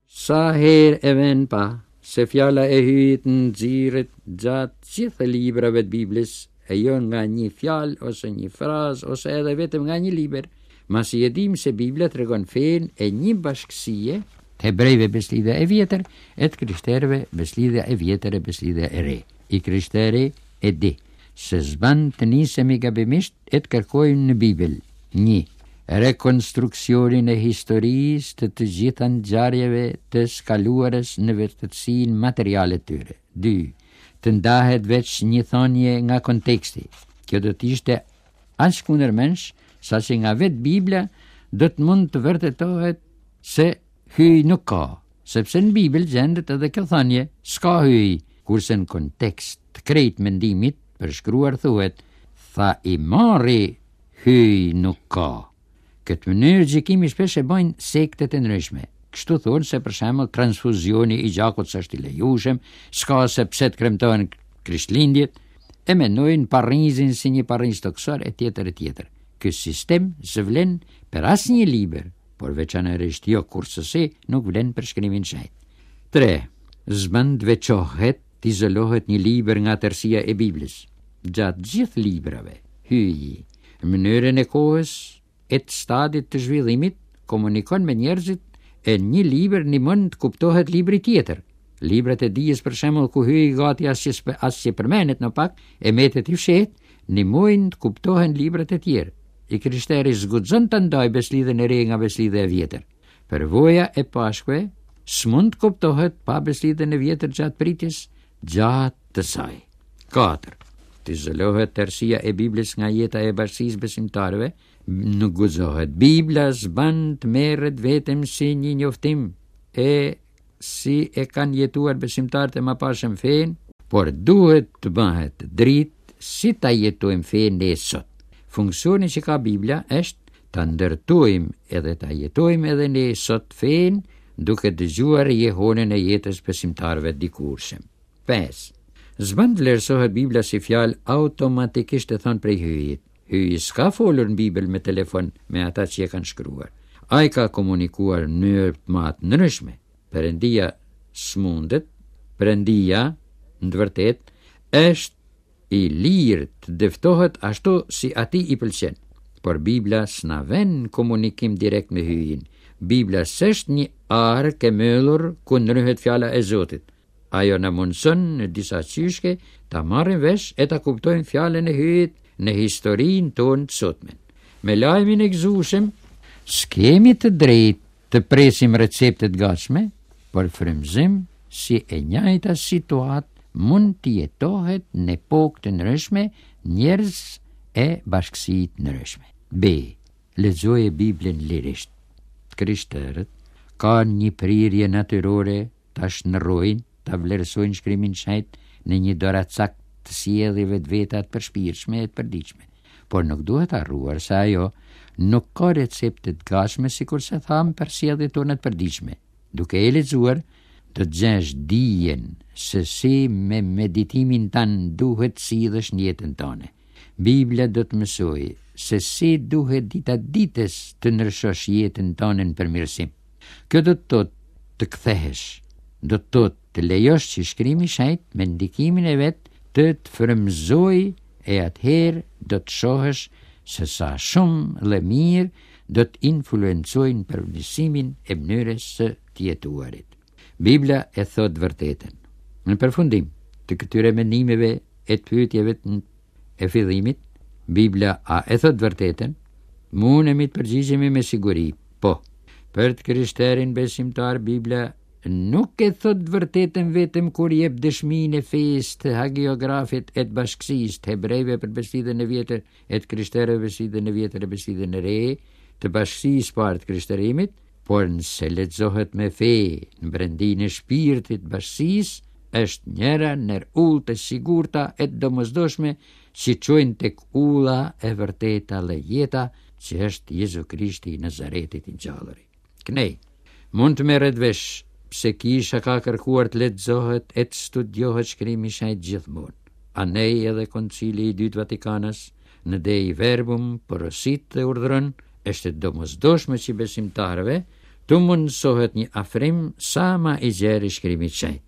Sa herë e vënë pa se fjala e Hyjit nxirret gjatë gjithë librave të Biblës, e jo nga një fjalë ose një frazë ose edhe vetëm nga një libër, masi e dimë se Bibla tregon fenë e një bashkësie, të hebrejve Besëlidhja e Vjetër e të krishterëve Besëlidhja e Vjetër e Besëlidhja e Re. I krishteri e di se s'ban të nisemi gabimisht e të kërkojmë në Bibël një rekonstruksionin e historisë të të gjitha ngjarjeve të së kaluarës në vërtetësinë materiale të tyre. 2. Të ndahet veç një thënie nga konteksti. Kjo do të ishte aq kundërmendsh saqë nga vetë Bibla do të mund të vërtetohet se Hyj nuk ka, sepse në Bibël gjendet edhe kjo thënie, s'ka hyj, kurse në kontekst të krejt mendimit përshkruar thuhet, tha i marri hyj nuk ka. Këtë mënyrë gjykimi shpesh e bëjnë sektet e ndryshme. Kështu thonë se për shembull transfuzioni i gjakut s'është i lejushëm, s'ka se pse të kremtohen Krishtlindjet, e mendojnë parrizin si një parriz tokësor e tjetër e tjetër. Ky sistem s'vlen për asnjë libër, por veçanërisht jo kurrsesi nuk vlen për shkrimin e shenjtë. 3. S'bën të veçohet, të izolohet një libër nga tërësia e Biblës. Gjatë gjithë librave, Hyji, në mënyrën e kohës e të stadit të zhvillimit, komunikon me njerëzit e një libër ndihmon të kuptohet libri tjetër. Librat e dijes për shembull ku Hyji gati as që as që përmendet në pak e mbetet i fshehtë, ndihmojnë të kuptohen librat e tjerë. I krishteri s'guxon ta ndajë Besëlidhjen e Re nga Besëlidhja e Vjetër. Përvoja e Pashkëve s'mund të kuptohet pa Besëlidhjen e Vjetër gjatë pritjes gjatë të saj. 4. Të izolohet tërësia e Biblës nga jeta e bashkësisë besimtarëve, nuk guxohet. Bibla s'ban të merret vetëm si një njoftim e si e kanë jetuar besimtarët e mëparshëm fenë, por duhet të bëhet dritë si ta jetojmë fenë ne sot. Funksioni që ka Bibla është ta ndërtojmë edhe ta jetojmë edhe ne sot fenë duke dëgjuar jehonën e jetës besimtarëve dikurshëm. 5. S'bën të vlerësohet Bibla si fjalë automatikisht e thënë prej Hyjit. Hyji s'ka folur në Bibël me telefon me ata që e kanë shkruar. Ai ka komunikuar në mënyra ma të ndryshme. Perëndia s'mundet, Perëndia, në të vërtetë, është i lirë të dëftohet ashtu si atij i pëlqen. Por Bibla s'na ven në komunikim direkt me Hyjin. Bibla s'është një arkë e mbyllur ku ndryhet fjala e Zotit. Ajo na mundëson në disa qyshke ta marrim vesh e ta kuptojmë fjalën e Hyjit në historinë tonë të sotme. Me lajmin e gëzueshëm, s'kemi të drejtë të presim recepte të gatshme, por frymëzim si e njëjta situatë mund të jetohet në epokë të ndryshme, njerëz e bashkësi të ndryshme. B. Lexoje Biblën lirisht. Të krishterët kanë një prirje natyrore ta shndërrojnë, ta vlerësojnë shkrimin e shenjtë në një doracak të sjelljeve të veta të përshpirtshme e të përditshme. Por nuk duhet harruar se ajo nuk ka recepte të gatshme sikurse thamë për sjelljet tona të përditshme. Duke e lexuar, do të gjesh dijen se si me meditimin tënd duhet të sillesh në jetën tënde. Bibla do të mësojë se si duhet dita ditës të ndryshosh jetën tënde në përmirësim. Kjo do të thotë të kthehesh, do të thotë të lejosh që shkrimi i shenjtë me ndikimin e vet të të frymëzojë e atëherë do të shohësh se sa shumë dhe mirë do të influencojnë përmirësimin e mënyrës së të jetuarit. Bibla e thotë të vërtetën. Në përfundim të këtyre mendimeve e të pyetjeve të e fillimit, Bibla a e thotë të vërtetën? Mundemi të përgjigjemi me siguri, po. Për të krishterin besimtar Bibla nuk e thotë të vërtetën vetëm kur jep dëshminë e fesë të hagiografit e të bashkësisë të hebrejve për Besëlidhjen e vjetër e të krishterëve Besëlidhjen e vjetër e Besëlidhjen e re, të bashkësisë parë të krishterimit, por nëse lexohet me fe në brendinë e shpirtit të bashkësisë, është njëra ndër udhët e sigurta e të domosdoshme që çojnë tek udha e vërteta dhe jeta që është Jezu Krishti i Nazaretit i ngjalluri. Knej, mund të merret vesh pse kisha ka kërkuar të lexohet e të studiohet shkrimi i shenjtë gjithmonë. Anej edhe Koncili i Dytë Vatikanas në Dei Verbum porosit dhe urdhëron është e domosdoshme që besimtarëve. T'u mundësohet një afrim sa ma i gjerë i shkrimit shenjt.